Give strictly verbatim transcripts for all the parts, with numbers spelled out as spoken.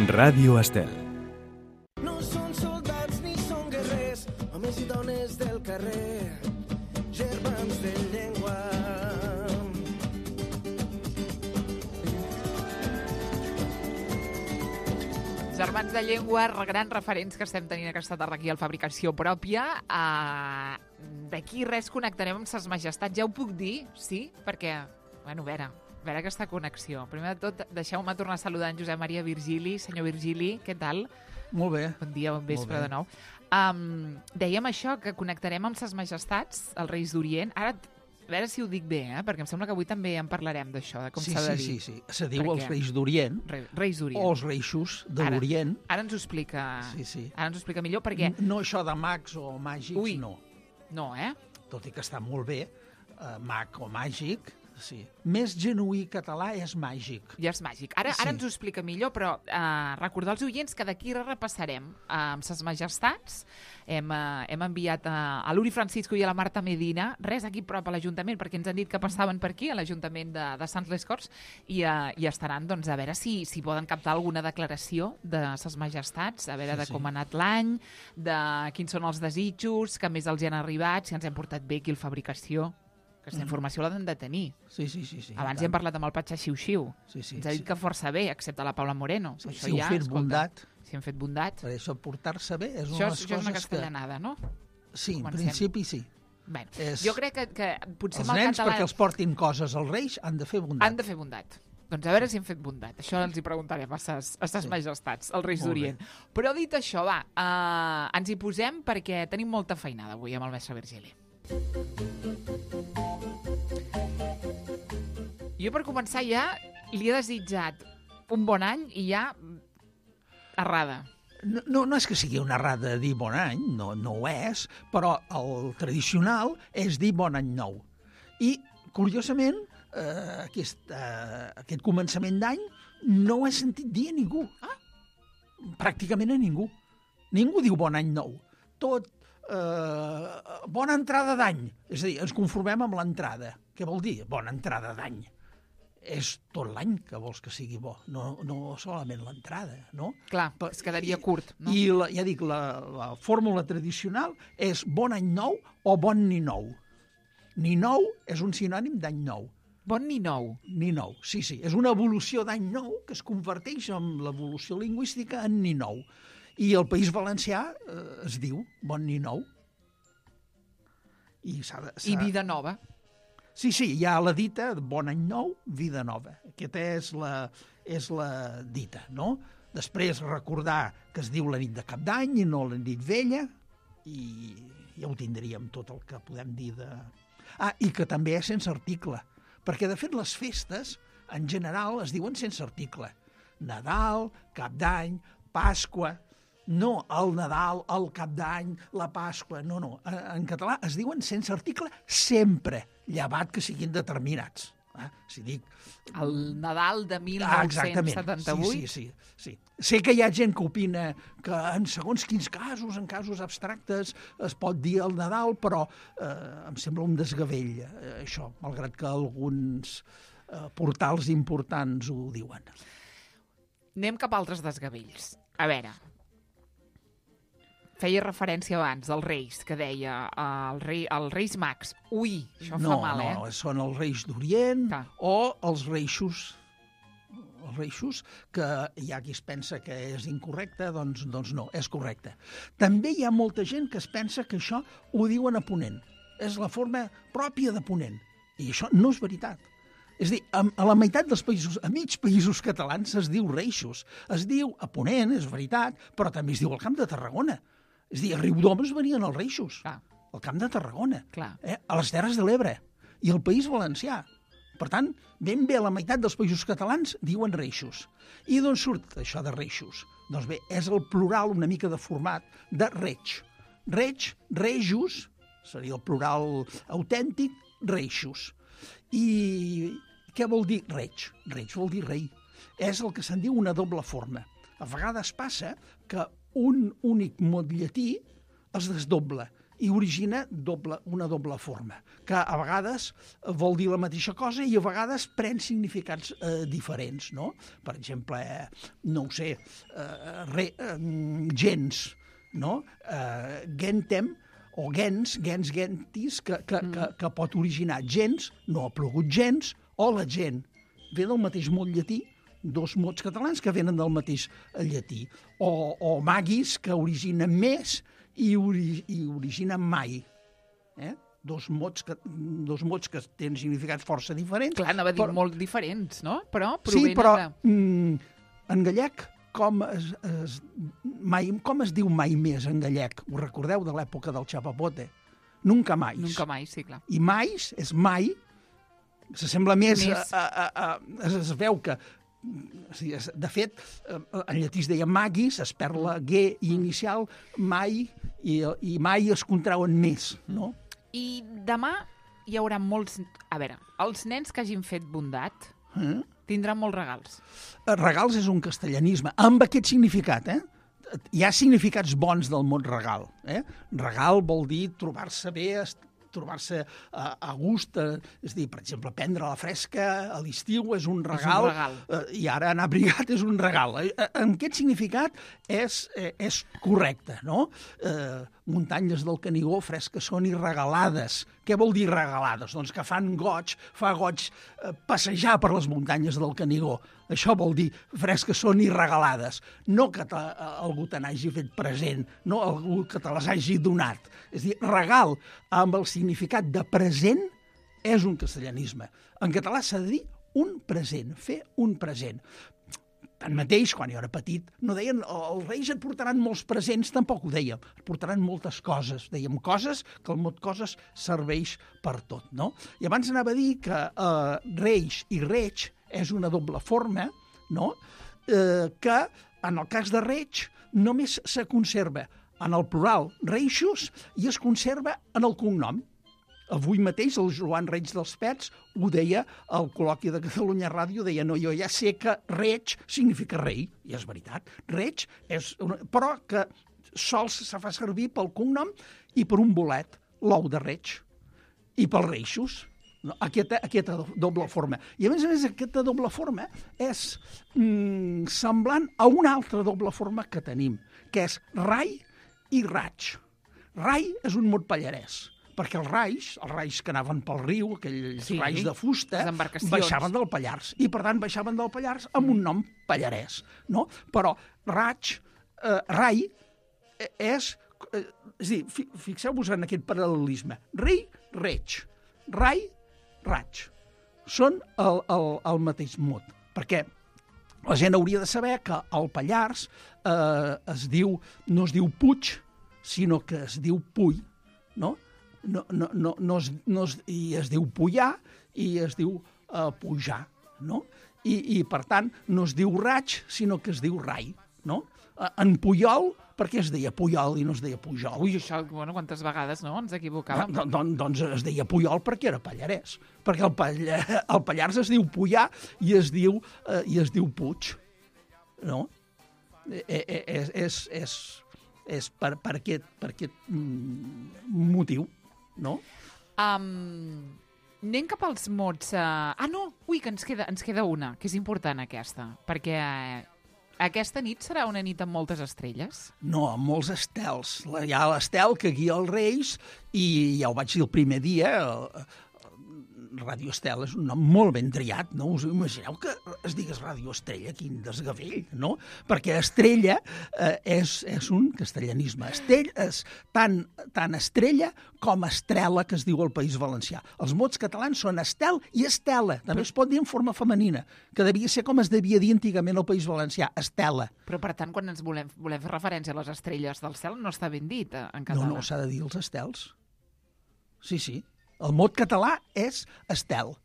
Ràdio Estel. No són soldats ni són guerrers, homes i dones del carrer, germans de llengua. Germans de llengua, grans referents que estem tenint aquesta tarda aquí al Fabricació Pròpia. Uh, D'aquí res connectarem amb ses majestats, ja ho puc dir, sí? Perquè, bueno, a veure, a veure aquesta connexió. Primer de tot, deixeu-me tornar a saludar en Josep Maria Virgili. Senyor Virgili, què tal? Molt bé. Bon dia, bon vespre de nou. Um, dèiem això, que connectarem amb ses majestats, els Reis d'Orient. Ara, a veure si ho dic bé, eh? Perquè em sembla que avui també en parlarem d'això, de com sí, s'ha de sí, dir. Sí, sí, sí. Se diu Perquè... els Reis d'Orient Re Reis d'Orient. o els Reixos de l'Orient. Ara, ara ens ho explica, sí, sí. Ara ens ho explica millor, perquè... No això de mags o màgics, Ui. no. No, eh? Tot i que està molt bé, eh, mag o màgic, sí. Més genuí català és màgic. Ja és màgic. Ara, Sí. ara ens ho explica millor, però eh, recordar als oients que d'aquí repassarem eh, amb ses majestats. Hem, eh, hem enviat a, a l'Uri Francisco i a la Marta Medina, res aquí prop a l'Ajuntament, perquè ens han dit que passaven per aquí, a l'Ajuntament de, de Sants les Corts, i, eh, i estaran doncs, a veure si, si poden captar alguna declaració de ses majestats, a veure Sí, de sí. com ha anat l'any, de quins són els desitjos, que més els hi han arribat, si ens hem portat bé aquí al Fabricació. Aquesta informació l'han de tenir. Sí, sí, sí. sí Abans hi hem parlat amb el Patxa Xiu-Xiu. Sí, sí, Ens ha dit sí. que força bé, excepte la Paula Moreno. Sí, Això si heu ja, fet escolta, bondat. Si hem fet bondat. Per això portar-se bé és Això, una de és- les això és una coses que... castellanada, no? Sí, en Comencem. principi sí. Bé, És- jo crec que, que potser Els amb el nens, català perquè els portin coses als Reis, han de fer bondat. han de fer bondat. Doncs a veure si hem fet bondat. Això els hi preguntarem a ses, a ses Sí. majestats, els Reis Molt d'Orient. Però dit això, va, uh, ens hi posem perquè tenim molta feinada avui amb el mestre Virgili. Jo, per començar, ja li he desitjat un bon any i ja errada. No, no, no és que sigui una errada dir bon any, no, no ho és, però el tradicional és dir bon any nou. I, curiosament, eh, aquest, eh, aquest començament d'any no ho he sentit dir a ningú. Ah. Pràcticament a ningú. Ningú diu bon any nou. Tot, eh, bona entrada d'any. És a dir, ens conformem amb l'entrada. Què vol dir bona entrada d'any? És tot l'any que vols que sigui bo, no, no solament l'entrada, no? Clar, Pa- es quedaria i- curt, no? I la, ja dic, la, la fórmula tradicional és bon any nou o bon ni nou. Ni nou és un sinònim d'any nou. Bon ni nou. Ni nou, sí, sí. És una evolució d'any nou que es converteix en l'evolució lingüística en ni nou. I el País Valencià eh, es diu bon ni nou. I, s'ha de, I s'ha- vida nova. Sí, sí, hi ha la dita de bon any nou, vida nova. Aquesta és la, és la dita, no? Després recordar que es diu la nit de Cap d'Any i no la nit vella, i ja ho tindríem tot el que podem dir de... Ah, i que també és sense article, perquè de fet les festes, en general, es diuen sense article. Nadal, Cap d'Any, Pasqua... No el Nadal, el Cap d'Any, la Pasqua, no, no. En català es diuen sense article sempre, llevat que siguin determinats. Eh? Si dic... El Nadal de Ah, dinou setanta-vuit. Sí, sí, sí, sí. Sé que hi ha gent que opina que en segons quins casos, en casos abstractes, es pot dir el Nadal, però eh, em sembla un desgavell, eh, això, malgrat que alguns eh, portals importants ho diuen. Anem cap a altres desgavells. A veure, feia referència abans dels Reis, que deia uh, el rei, els Reis Mags. Ui, això no, fa mal, eh? No, són els Reis d'Orient Clar. o els Reixos, els Reixos, que hi ha qui es pensa que és incorrecte, doncs, doncs no, és correcte. També hi ha molta gent que es pensa que això ho diuen a Ponent. És la forma pròpia de Ponent. I això no és veritat. És a dir, a, a la meitat dels països, a mig països catalans, es diu Reixos. Es diu a Ponent, és veritat, però també es diu al Camp de Tarragona. És a dir, a Riudoms venien els Reixos, Clar. al Camp de Tarragona, Clar. eh? a les Terres de l'Ebre i al País Valencià. Per tant, ben bé a la meitat dels països catalans diuen Reixos. I d'on surt això de Reixos? Doncs bé, és el plural una mica deformat de Reig. Reig, Rejos, seria el plural autèntic, Reixos. I què vol dir Reig? Reig vol dir rei. És el que se'n diu una doble forma. A vegades passa que un únic mot llatí es desdobla i origina doble, una doble forma, que a vegades vol dir la mateixa cosa i a vegades pren significats eh, diferents, no? Per exemple, eh, no ho sé, eh, re, eh, gens, no? Eh, gentem, o gens, gens gentis, que, que, mm. que, que pot originar gens, no ha plogut gens, o la gent. Ve del mateix mot llatí, dos mots catalans que venen del mateix llatí. O, o magis, que originen més i, ori, i originen mai. Eh? Dos mots, que, dos mots que tenen significats força diferents. Clar, anava a dir però, molt diferents, no? Però sí, però de... mm, en gallec, com es, es, mai, com es diu mai més en gallec? Ho recordeu de l'època del chapapote? Nunca mais. Nunca mai, sí, clar. I mais és mai, s'assembla més, més. A, a, a, a, es veu que, de fet, en llatí es deia magis, es perd la G inicial, mai, i, i mai es contrauen més, no? I demà hi haurà molts... A veure, els nens que hagin fet bondat Eh? tindran molts regals. Regals és un castellanisme, amb aquest significat, eh? Hi ha significats bons del mot regal. Eh? Regal vol dir trobar-se bé, trobar-se a, a gust, eh, és a dir, per exemple, prendre la fresca a l'estiu és un regal, és un regal. Eh, i ara anar abrigat és un regal. Eh, en aquest significat és, eh, és correcte, no? Eh, muntanyes del Canigó fresques són i regalades. Què vol dir regalades? Doncs que fan goig, fa goig eh, passejar per les muntanyes del Canigó. Això vol dir fresques són i regalades. No que te, algú te n'hagi fet present, no algú que te les hagi donat. És a dir, regal amb el significat de present és un castellanisme. En català s'ha de dir un present, fer un present. Tanmateix, quan jo era petit, no deien els reis et portaran molts presents, tampoc ho dèiem. Et portaran moltes coses. Dèiem coses, que el mot coses serveix per tot, no? I abans anava a dir que eh, reis i reig és una doble forma, no? Eh, que en el cas de reig només se conserva en el plural reixos i es conserva en el cognom. Avui mateix el Joan Reig dels Pets ho deia al col·loqui de Catalunya Ràdio, deia, no, jo ja sé que reig significa rei, i és veritat. Reig és una... però que sols se fa servir pel cognom i per un bolet, l'ou de reig, i pels reixos. No? Aquesta, aquesta doble forma. I a més a més aquesta doble forma és mm, semblant a una altra doble forma que tenim, que és rai i raig. Rai és un mot pallarès, perquè els rais, els rais que anaven pel riu, aquells sí, rais de fusta, baixaven del Pallars, i per tant baixaven del Pallars amb un nom pallarès, no? Però raig, eh, rai, és... Eh, és a dir, fi, fixeu-vos en aquest paral·lelisme. Rei, reig. Rai, raig. Són el, el, el mateix mot, perquè la gent hauria de saber que el Pallars eh, es diu, no es diu Puig, sinó que es diu Puy, no? No, no, no, no, es, no es, i es diu Puyar i es diu uh, Pujar, no? I, I, per tant, no es diu raig, sinó que es diu rai, no? Uh, en Puyol, per què es deia Puyol i no es deia Pujol? Ui, això, bueno, quantes vegades, no?, ens equivocàvem. Don, don, doncs es deia Puyol perquè era pallarès, perquè el, Pall el Pallars es diu Puyar i es diu, uh, i es diu Puig, no? Eh, eh, és, és, és, és per, per aquest, per aquest mm, motiu. No? Um, anem cap als mots... Uh... Ah, no! Ui, que ens queda, ens queda una, que és important aquesta, perquè uh, aquesta nit serà una nit amb moltes estrelles. No, amb molts estels. Hi ha l'estel que guia els reis i ja ho vaig dir el primer dia, Ràdio Estel és un nom molt ben triat, no? Us imagineu que es digués Ràdio Estrella, quin desgavell, no? Perquè estrella eh, és, és un castellanisme. Estell és tant, tant estrella com estrela, que es diu al País Valencià. Els mots catalans són estel i estela. També es pot dir en forma femenina, que devia ser com es devia dir antigament al País Valencià, estela. Però, per tant, quan ens volem, volem fer referència a les estrelles del cel, no està ben dit en català. No, no, s'ha de dir els estels. Sí, sí. El mot català és estel.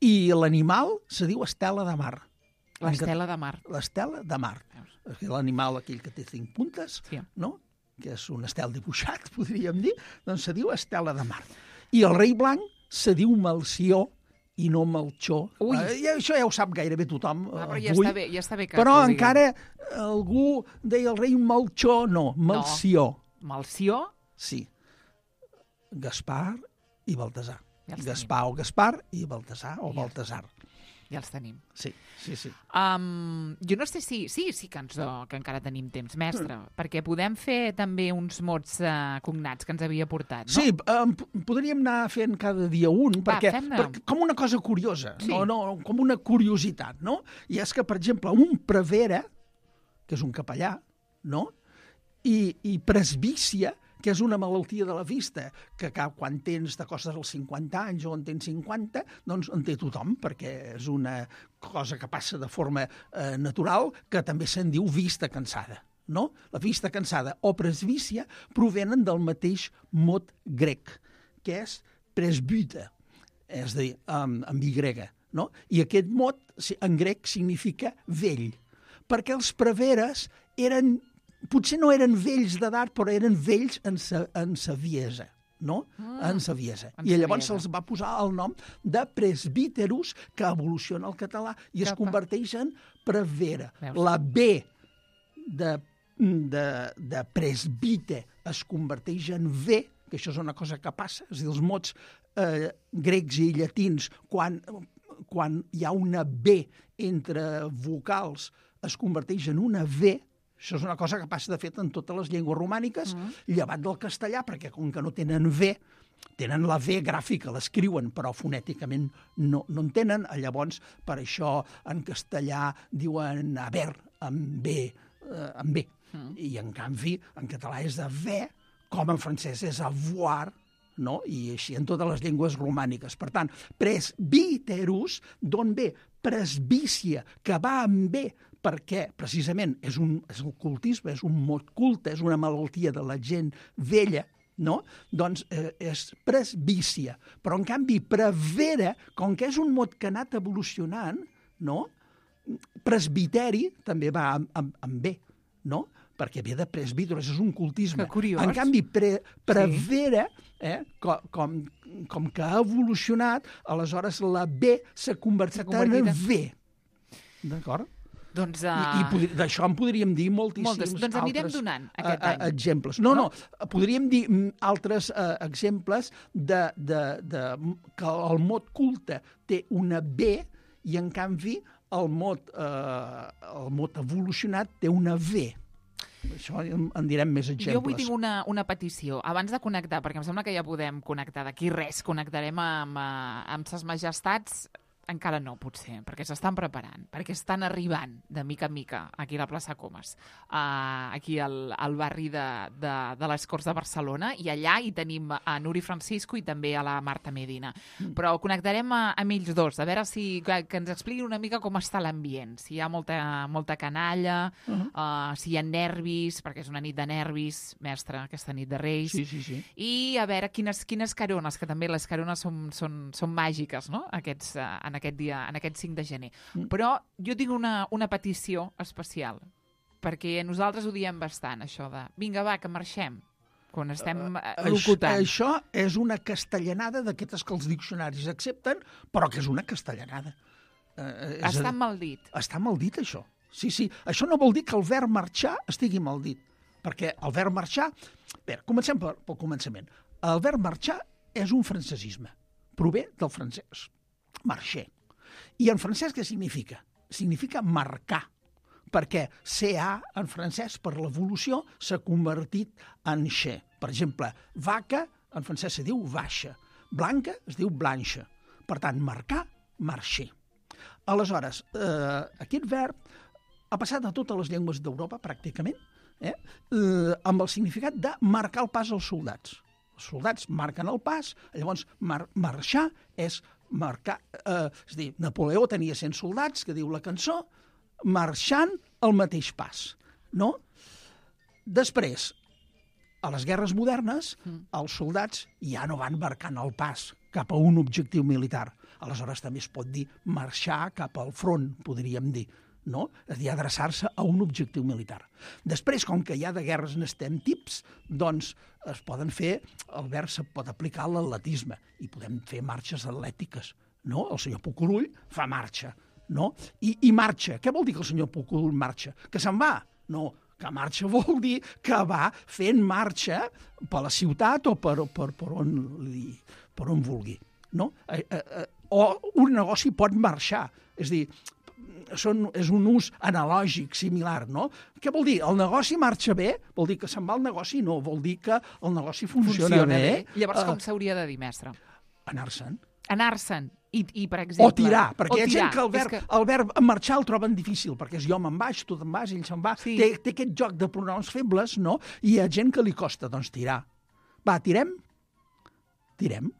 I l'animal se diu estela de mar. L'estela de mar. L'estela de mar. L'animal aquell que té cinc puntes, sí, no? Que és un estel dibuixat, podríem dir, doncs se diu estela de mar. I el rei blanc se diu Melcior i no Melchor. Ui. Eh, això ja ho sap gairebé tothom. Ah, però ja avui. està bé, ja està bé que però que encara algú deia el rei Melchor, no, Melcior. No. Melcior? Sí. Gaspar i Baltasar. Ja els Gaspar o Gaspar i Baltasar o Ja. Baltasar. Ja els tenim. Sí, sí, sí. Um, jo no sé si... Sí, sí que, ens, oh, que encara tenim temps, mestre, mm. perquè podem fer també uns mots uh, cognats que ens havia portat, no? Sí, um, podríem anar fent cada dia un, Va, perquè, fem-ne. perquè com una cosa curiosa, Sí. no, no, com una curiositat, no? I és que, per exemple, un prevere, que és un capellà, no? I, i presbícia, que és una malaltia de la vista, que quan tens de coses als cinquanta anys o en tens cinquanta, doncs en té tothom, perquè és una cosa que passa de forma eh, natural, que també se'n diu vista cansada. No? La vista cansada o presbícia provenen del mateix mot grec, que és presbyte, és a dir, amb, amb Y, no? I aquest mot en grec significa vell, perquè els preveres eren potser no eren vells d'edat, però eren vells en sa, en saviesa, no? Ah, en saviesa. I llavors se'ls va posar el nom de presbíterus, que evoluciona al català i es converteix en prevera. La B de, de, de presbite es converteix en V, que això és una cosa que passa, és a dir, els mots eh, grecs i llatins, quan, quan hi ha una B entre vocals, es converteix en una V. Això és una cosa que passa, de fet, en totes les llengües romàniques, mm. llevat del castellà, perquè com que no tenen V, tenen la V gràfica, l'escriuen, però fonèticament no, no en tenen. Llavors, per això, en castellà diuen haver, amb B, eh, amb B. Mm. I, en canvi, en català és haver, com en francès és avoir, no? I així en totes les llengües romàniques. Per tant, presbíterus, d'on ve? Presbícia, que va amb B, perquè precisament és, un, és el cultisme, és un mot culte, és una malaltia de la gent vella, no? Doncs eh, és presbícia. Però, en canvi, prevera, com que és un mot que ha anat evolucionant, no? Presbiteri també va amb, amb, amb B, no? Perquè ve de presbíteros, és un cultisme. Que curiós. En canvi, pre, prevera, eh, com, com, com que ha evolucionat, aleshores la B s'ha convertit en V. D'acord? Doncs, uh... I, i d'això en podríem dir moltíssims Moltes. Doncs anirem altres donant aquest any. exemples. No, no, no, podríem dir altres uh, exemples de, de, de, que el mot culte té una B i, en canvi, el mot, uh, el mot evolucionat té una V. Això en, en direm més exemples. Jo avui tinc una, una petició. Abans de connectar, perquè em sembla que ja podem connectar d'aquí res, connectarem amb, amb ses majestats. Encara no, potser, perquè s'estan preparant, perquè estan arribant de mica en mica aquí a la plaça Comas, uh, aquí al, al barri de, de, de les Corts de Barcelona, i allà hi tenim a Nuri Francisco i també a la Marta Medina. Mm. Però connectarem a, amb ells dos, a veure si que, que ens expliquin una mica com està l'ambient, si hi ha molta, molta canalla, uh -huh. uh, si hi ha nervis, perquè és una nit de nervis, mestre, aquesta nit de Reis, sí, sí, sí. I a veure quines, quines carones, que també les carones són, són, són màgiques, no?, Aquests, uh, en aquest dia, en aquest cinc de gener. Mm. Però jo tinc una, una petició especial, perquè nosaltres ho diem bastant, això de vinga, va, que marxem, quan estem uh, locutant. Això és una castellanada d'aquestes que els diccionaris accepten, però que és una castellanada. Uh, està mal dit. Està mal dit, això. Sí, sí. Això no vol dir que el verb marxar estigui mal dit, perquè el verb marxar... Bé, comencem pel, pel començament. El verb marxar és un francesisme. Prové del francès. Marcher. I en francès què significa? Significa marcar, perquè C A en francès, per l'evolució, s'ha convertit en che. Per exemple, vaca en francès se diu vache, blanca es diu blanche. Per tant, marcar, marcher. Aleshores, eh, aquest verb ha passat a totes les llengües d'Europa, pràcticament, eh, eh, amb el significat de marcar el pas als soldats. Els soldats marquen el pas, llavors mar marxar és marcar, eh, és a dir, Napoleó tenia cent soldats, que diu la cançó, marxant el mateix pas, no? Després, a les guerres modernes, mm. els soldats ja no van marcant el pas cap a un objectiu militar. Aleshores també es pot dir marxar cap al front, podríem dir, no? És a dir, adreçar-se a un objectiu militar. Després, com que ja de guerres n'estem tips, doncs es poden fer, el verb se pot aplicar a l'atletisme i podem fer marxes atlètiques, no? El senyor Pucurull fa marxa, no? I, i marxa. Què vol dir que el senyor Pucurull marxa? Que se'n va? No, Que marxa vol dir que va fent marxa per la ciutat o per, per, per, on, li, per on vulgui. No? Eh, eh, o un negoci pot marxar. És a dir, són, és un ús analògic, similar, no? Què vol dir? El negoci marxa bé? Vol dir que se'n va el negoci? No, vol dir que el negoci funciona, Funciona bé. bé. Llavors, Uh, com s'hauria de dir, mestre? Anar-se'n. Anar-se'n. I, I, per exemple... O tirar, perquè o hi ha tirar. gent que el verb, que... el verb marxar el troben difícil, perquè és jo me'n vaig, tu te'n vas, ell se'n va. Sí. Té, té aquest joc de pronoms febles, no? I hi ha gent que li costa, doncs, tirar. Va, tirem? Tirem.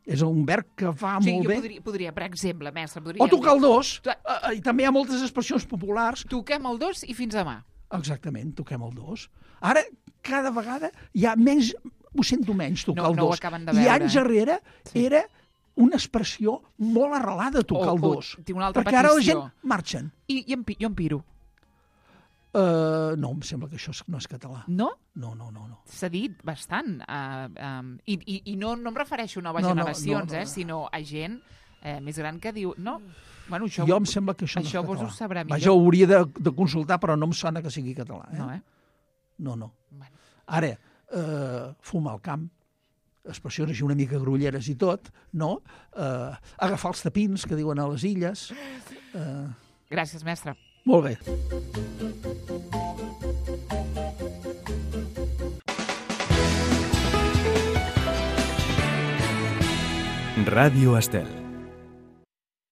És un verb que fa Sí, molt jo bé. podria, podria, per exemple, mestre, podria... O tocar el dos. Tu- Uh, I també hi ha moltes expressions populars. Toquem el dos i fins demà. Exactament, toquem el dos. Ara, cada vegada hi ha menys... Ho sento menys, tocar No- el no ho dos. acaben de I veure, anys eh? enrere Sí. era una expressió molt arrelada, tocar O- el o dos. tinc una altra perquè ara la petició. gent marxen. I, i em, pi- jo em piro. Uh, no, em sembla que això és- no és català. No? No, no, no. no. S'ha dit bastant. Uh, um, I i, i no, no em refereixo a noves No, no, generacions, no, no. eh, sinó a gent eh, més gran que diu... No, bueno, això, Jo em sembla que això, això no és vos català. ho sabrà millor. Vaja, ho hauria de, de consultar, però no em sona que sigui català. Eh? No, eh? No, no. Bueno. Ara, uh, fumar al camp, expressions així una mica grolleres i tot, no? Uh, agafar els tapins, que diuen a les illes. Uh, Gràcies, mestre. molt bé. Ràdio Estel.